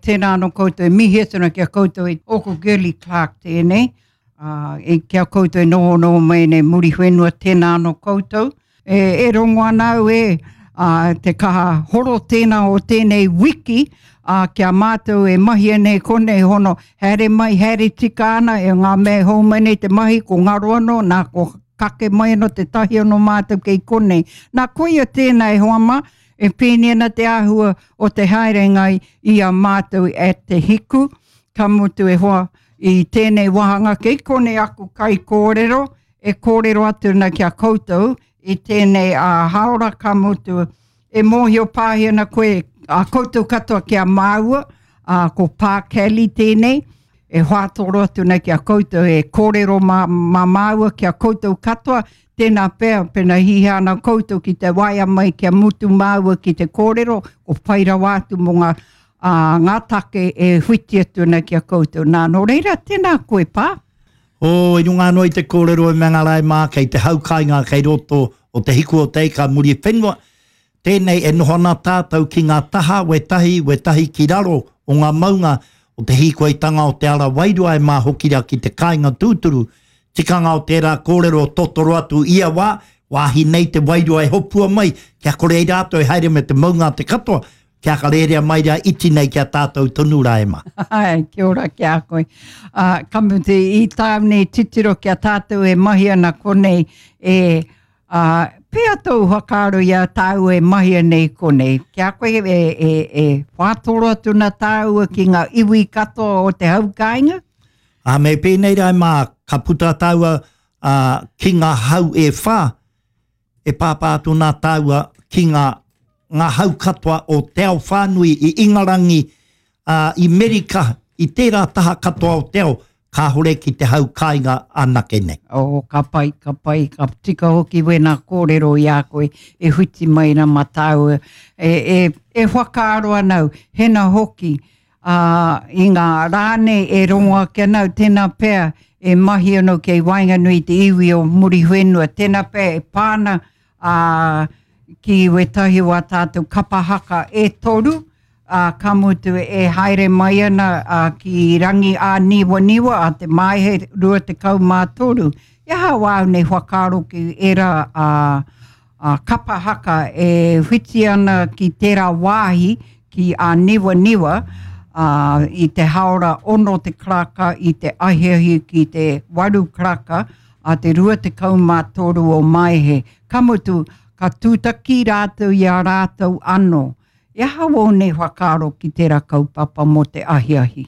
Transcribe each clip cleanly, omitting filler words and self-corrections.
tēnā anō koutou e mihi atu ana ki a koutou e ōku Girlie Clark tēnei, ā, e, ki a koutou e nohonoho mai nei Muriwhenua, tēnā anō koutou. E, e rongo ana au e, ā, te kaha horo tēnā o tēnei wiki, ā, ki a mātou e mahia nei konei hono, haere mai, haere tika ana, e ngā mea e hou mai nei te mahi, ko ngaro anō, nā, ko kake mai anō te tahi anō mātou kei konei. Nā, koia tēnā e hoa mā, e pēnei ana te āhua o te haerenga i a mātou at Te Hiku, ka mutu e hoa, i tēnei wāhanga kei konei aku kaikōrero e kōrero atu ana ki a koutou i tēnei ā hāora ka mutu e mōhio pāhi ana koe a koutou katoa ki a māua, ā, ko Pā Kelly tēnei, e whātoro atu nei ki a koutou, e kōrero mā, mā māua ki a koutou katoa, tēnā pea, pēnā hiahia ana koutou ki te waea mai kia mutu māua ki te kōrero, ko pai rawa atu mō ngā, ā, ngā take e whiti atu ana ki a koutou. Nā, nō reira, tēnā koe, Pā. Oh, i runga anō i te kōrero e Mangarae mā, kei te hau kāinga kei roto o Te Hiku o Te Ika Muriwhenua, tēnei e noho ana tātou ki ngā taha wētahi, wētahi ki raro o ngā maunga o te hīkoitanga o te ara wairua e mā hoki rā ki te kāinga tūturu. Tikanga o tērā kōrero totoro atu ia wā, wāhi nei te wairua e hopua mai, kia kore ai rātou e haere me te maunga a te katoa, kia ka rērea mai rā iti nei ki a tātou tonu rā e mā. Ai, kia ora ki a koe. Uh, ka mutu i tāu nei titiro ki a tātou e mahi ana konei, e, uh, pea tōu whakaaro i a tāua e mahi ana i konei. Ki a koe e, e, e whātoro atu na tāua ki ngā iwi katoa o te hau kāinga? Ā, me pēnei rā e mā, ka puta tāua uh, ki ngā hau e whā, e pāpā atu nā tāua ki ngā, ngā hau katoa o te ao whānui i Ingarangi, ā, i Merika, i tērā taha katoa o te ao, kāore ki te hau kāinga anake nei. Oh, ka pai, ka pai, ka tika hoki wēnā kōrero i a koe e whiti mai ana mā tāua. E, e, e whakaaro ana au, hena hoki, ā, i ngā rā nei e rongo ake ana au, tēnā pea e mahi anō kei waenganui i te iwi o Muriwhenua, tēnā pea e pā ana ā, ki wētahi o ā tātou kapa haka e toru, ā, ka mutu e haere mai ana ā, ki Rangi ā-Niwaniwa a te Maehe 23. He aha wāu nei whakaaro ki ērā ā, ā, kapa haka e whiti ana ki tērā wāhi ki Āniwaniwa, ā, i te hāora ono te karaka i te ahiahi ki te waru karaka a te 23 o Maehe. Ka mutu, ka tūtaki rātou i a rātou anō. He aha wō nei whakaaro ki tērā kaupapa mō te ahiahi?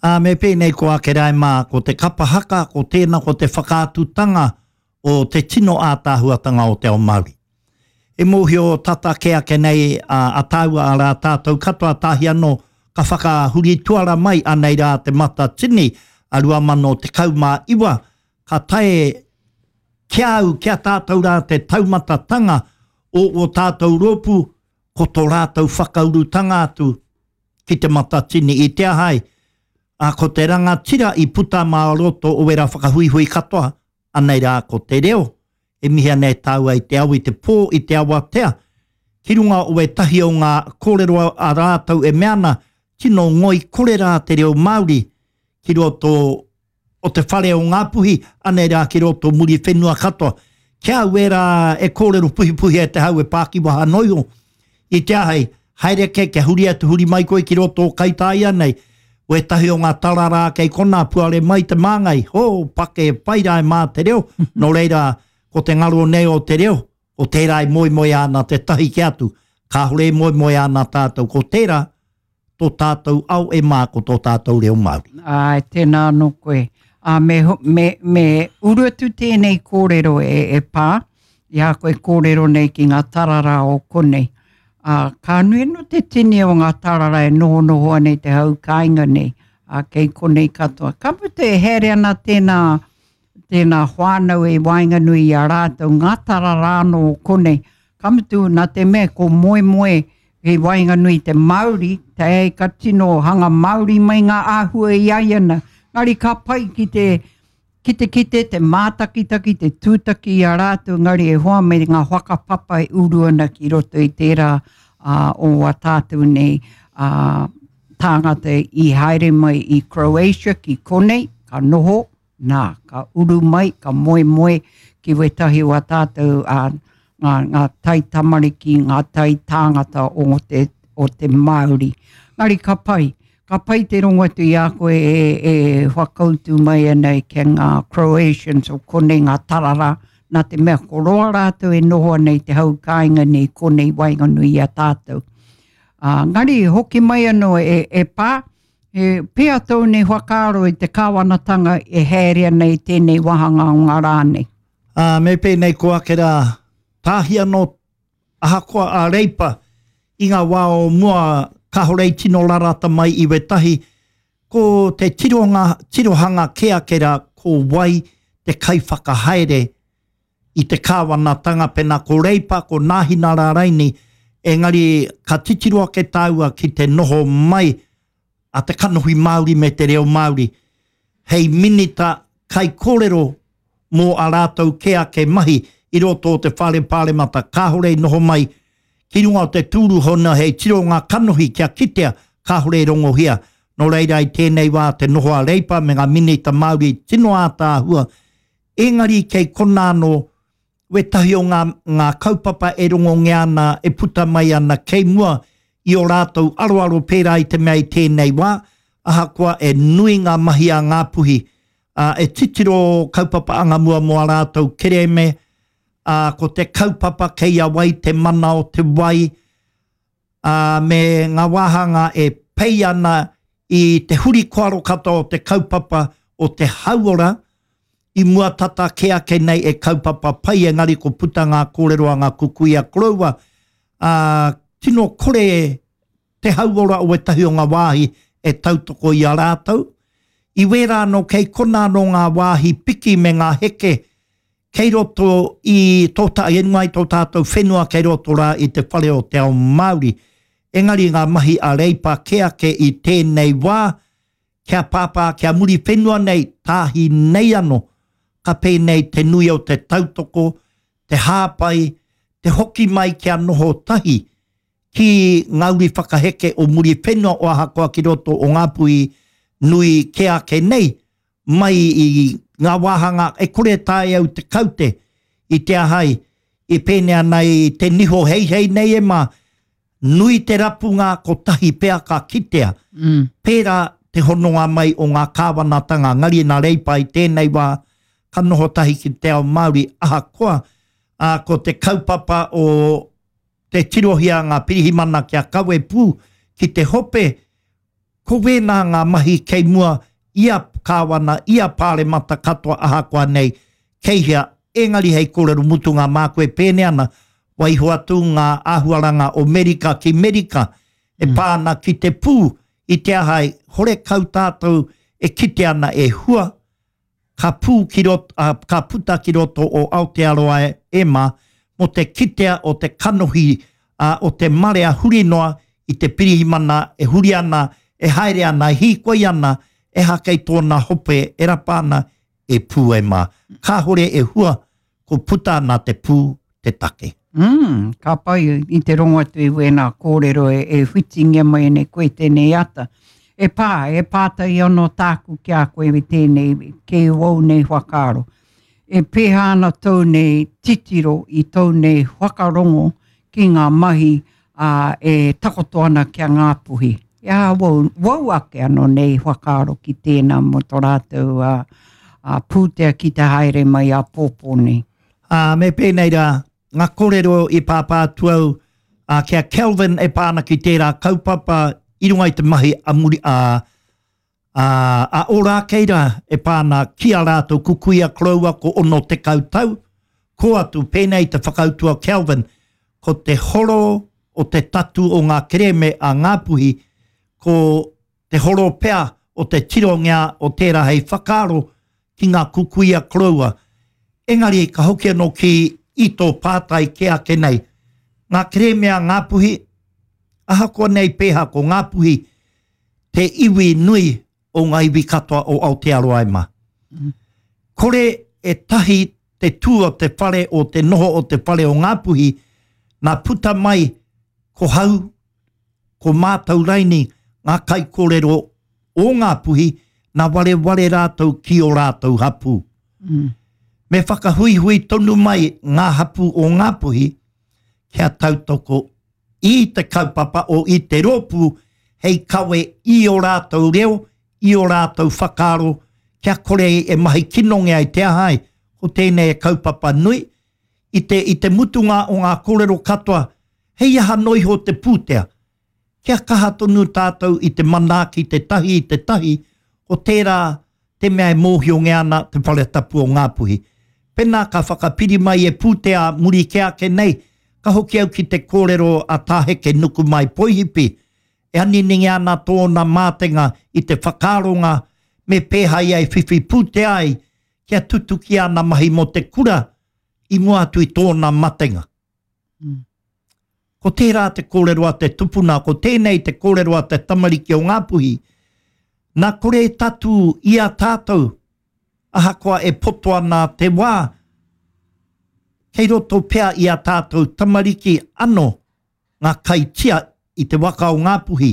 Ā, me pēnei ko Akerai mā, ko te kapa haka, ko tēnā ko te whakaatutanga o te tino ātaahuatanga o te ao Māori. E mōhio tata kē ake nei a tāua, arā tātou katoa tahi anō ka whakahuri tuara mai anei rā te Matatini a 2019, ka tae ki a au, ki a tātou rā te taumatatanga o ō tātou rōpū, ko tō rātou whakaurutanga atu ki te Matatini i te aha ai, ā, ko te rangatira i puta mā roto o wērā whakahuihui katoa, anei rā ko te reo e mihi ana e tāua i te ao i te pō, i te awatea, ki runga o ētahi o ngā kōrero a rātou e mea ana, tino ngoikore rā te reo Māori ki roto o te whare o Ngāpuhi, anei rā ki roto o Muriwhenua katoa. Ki a au ērā e kōrero puhipuhi ai te hau e pākiwaha noa iho, i te āhei, haere ake kia huri atu huri mai koe ki roto o Kaitāia nei, wētahi o ngā tararā kei konā puare mai te māngai, hō, pake pai rā e mā te reo, nō reira, ko te ngaro nei o te reo, ko tērā e moemoeā ana tētahi ki atu, kāore e moemoeā ana tātou, ko tērā tō tātou ao e mā, ko tō tātou reo Māori. Āe, tēnā anō koe. Ā, me, me, me uru atu tēnei kōrero e, e pā, i a koe kōrero nei ki ngā tararā o konei. Ā, ka nui anō te tini o ngā tararā e nohonoho ana i te hau kāinga nei, ā, kei konei katoa. Ka mutu e haere ana tēnā, tēnā whānau i waenganui i a rātou, ngā tararā anō o konei. Ka mutu, nā te mea ko moemoe kei waenganui i te Māori, te ai ka tino hanga Māori mai ngā āhua i a ia na. Engari ka pai ki te ki te kite, te mātakitaki, te tūtaki i a rātou, engari e hoa me ngā whakapapa e uru ana ki roto i tērā ā, o a tātou nei ā, tāngata i haere mai i Croatia ki konei, ka noho, nā, ka uru mai, ka moemoe ki wētahi o a tātou ā, ngā, ngā taitamariki, ngā tai tāngata o te, o te Māori. Ngari ka pai, ka pai te rongo atu i a koe e, e whakautu mai ana ki ngā Croatians o konei ngā tarara, nā te mea ko roa rātou e noho ana i te hau kāinga nei konei waenganui i a tātou. Ā, ngari hoki mai anō e, e pā, he pēa tōu nei whakaaro i te kāwanatanga e haere ana i tēnei wāhanga o ngā rā nei? Ā, me pēnei ko ake rā, tāhi anō, ahakoa a Reipa, i ngā wā o mua kāore i tino rarata mai i wētahi, ko te tirohanga, tirohanga kē ake rā ko wai te kaiwhakahaere i te kāwanatanga, pēnā ko Reipa, ko Nāhinara raini, engari ka titiro ake tāua ki te noho mai a te kanohi Māori me te reo Māori hei minita kaikōrero mō ā rātou kē ake mahi i roto o te Whare Pāremata kāore i noho mai ki runga o te tūru hona hei tiro ngā kanohi kia kitea kāore i rongohia. Nō reira i tēnei wā te noho a Reipa me ngā minita Māori tino ātaahua engari kei konā anō wētahi o ngā, ngā kaupapa e rongongia ana, e puta mai ana kei mua i ō rātou aroaro pērā i te mea i tēnei wā, ahakoa e nui ngā mahi a Ngāpuhi, ā, e titiro kaupapa angamua mō ā rātou kerēme, ā, ko te kaupapa kei a wai te mana o te wai, ā, me ngā wāhanga e pei ana i te huri koaro katoa o te kaupapa o te hauora, i mua tata kē ake nei e kaupapa pai engari ko puta ngā kōrero a ngā kukuia koroua, ā, tino kore te hauora o ētahi o ngā wāhi e tautoko i a rātou. I wērā anō kei konā anō ngā wāhi piki me ngā heke Kei roto i tō ta, i runga i tō tātou whenua kei roto rā i te whare o te ao Māori. Engari ngā mahi a Reipa kē ake i tēnei wā, kia pāpā, kia Muriwhenua nei, tāhi nei anō, ka pēnei te nui o te tautoko, te hāpai, te hoki mai kia noho tahi ki ngā uri whakaheke o Muriwhenua o ahakoa ki roto o Ngāpuhi nui kē ake nei, mai i ngā wāhanga e kore e taea au te kaute i te aha ai i pēnei ana i te niho heihei nei e mā, nui te rapunga kotahi pea ka kitea. Mm. Pērā te hononga mai o ngā kāwanatanga, ngari nā Reipa i tēnei wā ka noho tahi ki te ao Māori ahakoa ā, ko te kaupapa o te tirohia ngā pirihimana kia kawe pū ki te hope, Ko wēnā ngā mahi kei mua i a Kāwana, i a Pāremata katoa ahakoa nei kei hea, engari hei kōrero mutunga māku e pēnei ana, waiho atu ngā āhuaranga o Merika ki Merika e pā ana ki te pū i te aha ai horekau tātou e kite ana e hua ka pū ki roto, ā, ka puta ki roto o Aotearoa e mā, mō te kitea o te kanohi, ā, o te marea huri noa i te pirihimana e huri ana, e haere ana, e hīkoi ana, eha kei tōna hope e rapa ana, e pū e mā. Kāhore e hua, ko puta ana te pū te take. Mm, ka pai i te rongo atu i wēnā kōrero e, e whitingia mai nei koe tēnei ata. E pā, e pātai anō tāku ki a koe i tēnei, kei wou nei whakaaro. E pēhā ana tōu nei titiro i tōu nei whakarongo ki ngā mahi ā, e takoto ana ki a Ngāpuhi. E aha wou, wou ake anō nei whakaaro ki tēnā mō tō rātou ā, ā, pūtea ki te haere mai āpōpō nei. Ā, me pēnei rā, ngā kōrero i pāpā atu au ā, ki a Kelvin e pā ana ki tērā kaupapa i runga i te mahi a muri, ā, Ā, a Ōrākei rā e pā ana ki a rātou kukuia koroua ko 60 tau, kō atu pēnei te whakautu a Kelvin, ko te horo o te tatu o ngā kerēme a Ngāpuhi, ko te horo pea o te tirongia o tērā hei whakaaro ki ngā kukuia koroua. Engari ka hoki anō ki i tō pātai kē ake nei, ngā kerēme a Ngāpuhi, ahakoa nei pēhā ko Ngāpuhi, te iwi nui o ngā iwi katoa o Aotearoa e ma. Kore e tahi te tū o te whare o te noho o te whare o Ngāpuhi, nā puta mai ko hau, ko mātau raini ngā kaikōrero o Ngāpuhi, nā wareware rātou ki ō rātou hapū. Mm. Me whakahuihui tonu mai ngā hapū o Ngāpuhi kia tautoko i te kaupapa o i te rōpū hei kawe i ō rātou reo, i ō rātou whakaaro, kia kore e mahi kinongia i te aha ai, ko tēnei e kaupapa nui, i te, i te mutunga o ngā kōrero katoa, hei aha noa iho te pūtea? Kia kaha tonu tātou i te manaaki te tahi i te tahi, ko tērā te mea e mōhiongia ana te whare tapu o Ngāpuhi. Pēnā ka whakapiri mai e pūtea muri kē ake nei, ka hoki au ki te kōrero a Tā Heke Nukumai Poihipi, e aniningia ana tōna mātenga i te whakaaronga me pēhā ia e whiwhi pūtea ai kia tutuki ana mahi mō te kura i mua atu i tōna matenga. Mm. Ko tērā te kōrero a te tupuna, ko tēnei te kōrero a te tamariki o Ngāpuhi, nā kore e tatū i a tātou, ahakoa e poto ana te wā, kei roto pea i a tātou tamariki ano ngā kaitia i te waka o Ngāpuhi,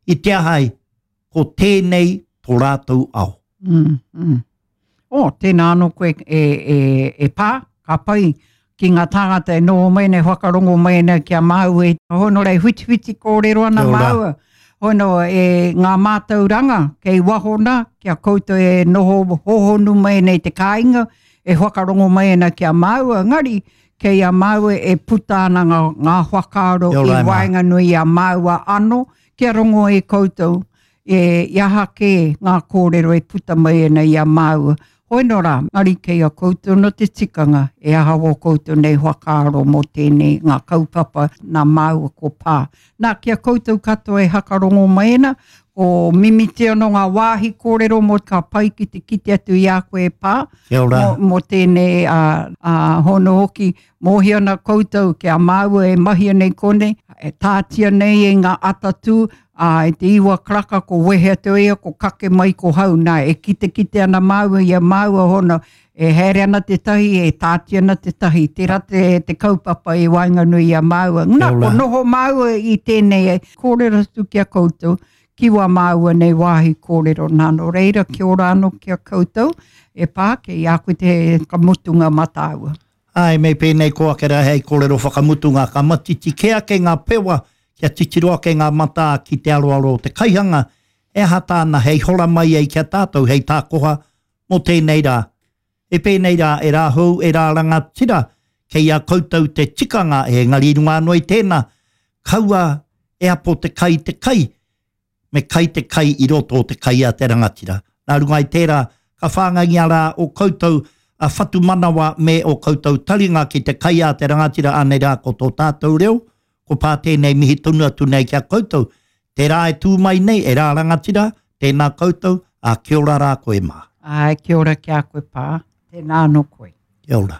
i te aha ai, ko tēnei tō rātou ao. Mm, mm. Oh, tēnā anō koe e, e, e pā, ka pai ki ngā tāngata e noho mai nei, whakarongo mai nei ki a māua e hono rei whitiwhiti kōrero ana māua. Hono e ngā mātauranga kei waho nā, kia koutou e noho hohonu mai nei te kāinga, e whakarongo mai ana ki a māua, engari kei a māua e puta ana ngā, ngā whakaaro i waenganui i a māua anō, kia rongo e koutou, e, i aha kē ngā kōrero e puta mai ana i a māua. Hoi nō rā, engari kei a koutou nō te tikanga e aha wō koutou nei whakaaro mō tēnei ngā kaupapa nā māua ko pā. Nā, ki a koutou katoa e hakarongo mai ana, ko mimiti anō ngā wāhi kōrero mō ka pai ki te kite atu i a koe e pā, Kia ora. Mō, mō tēnei a, a hono hoki, mōhio ana koutou ki a māua e mahia nei konei, e tātia nei e ngā atatū, ā, i te iwa karaka ko wehe atu ia, ko kake mai ko hau, nā, e kitekite ana māua i a māua hono, e haere ana tētahi, e tāti ana tētahi, tērā te, te kaupapa i waenganui i a māua. Nā, ko noho māua i tēnei kōrero atu ki a koutou, ki wā māua nei wāhi kōrero nā, nō reira, kia ora anō ki a koutou, e pā, kei a koe te whakamutunga mā tāua. Āe, me pēnei ko ake rā hei kōrero whakamutunga, ka matiti kē ake ngā pewa kia titiro ake ngā matā ki te aroaro o te kaihanga, he aha tāna hei hora mai ai ki a tātou hei tākoha mō tēnei rā. E pēnei rā, e rā hou, e rā rangatira, kei a koutou te tikanga, engari i runga anō i tēnā, kaua e apo te kai te kai, me kai te kai i roto o te kai a te rangatira. Nā runga i tērā, ka whāngaingia rā o koutou a whatumanawa me o koutou taringa ki te kai a te rangatira, anei rā ko tō tātou reo, ko pā tēnei mihi tonu atu nei ki a koutou. Tērā e tū mai nei, e rā rangatira, tēnā koutou, ā, kia ora rā koe mā. Āe, kia ora ki a koe pā, tēnā anō koe. Kia ora.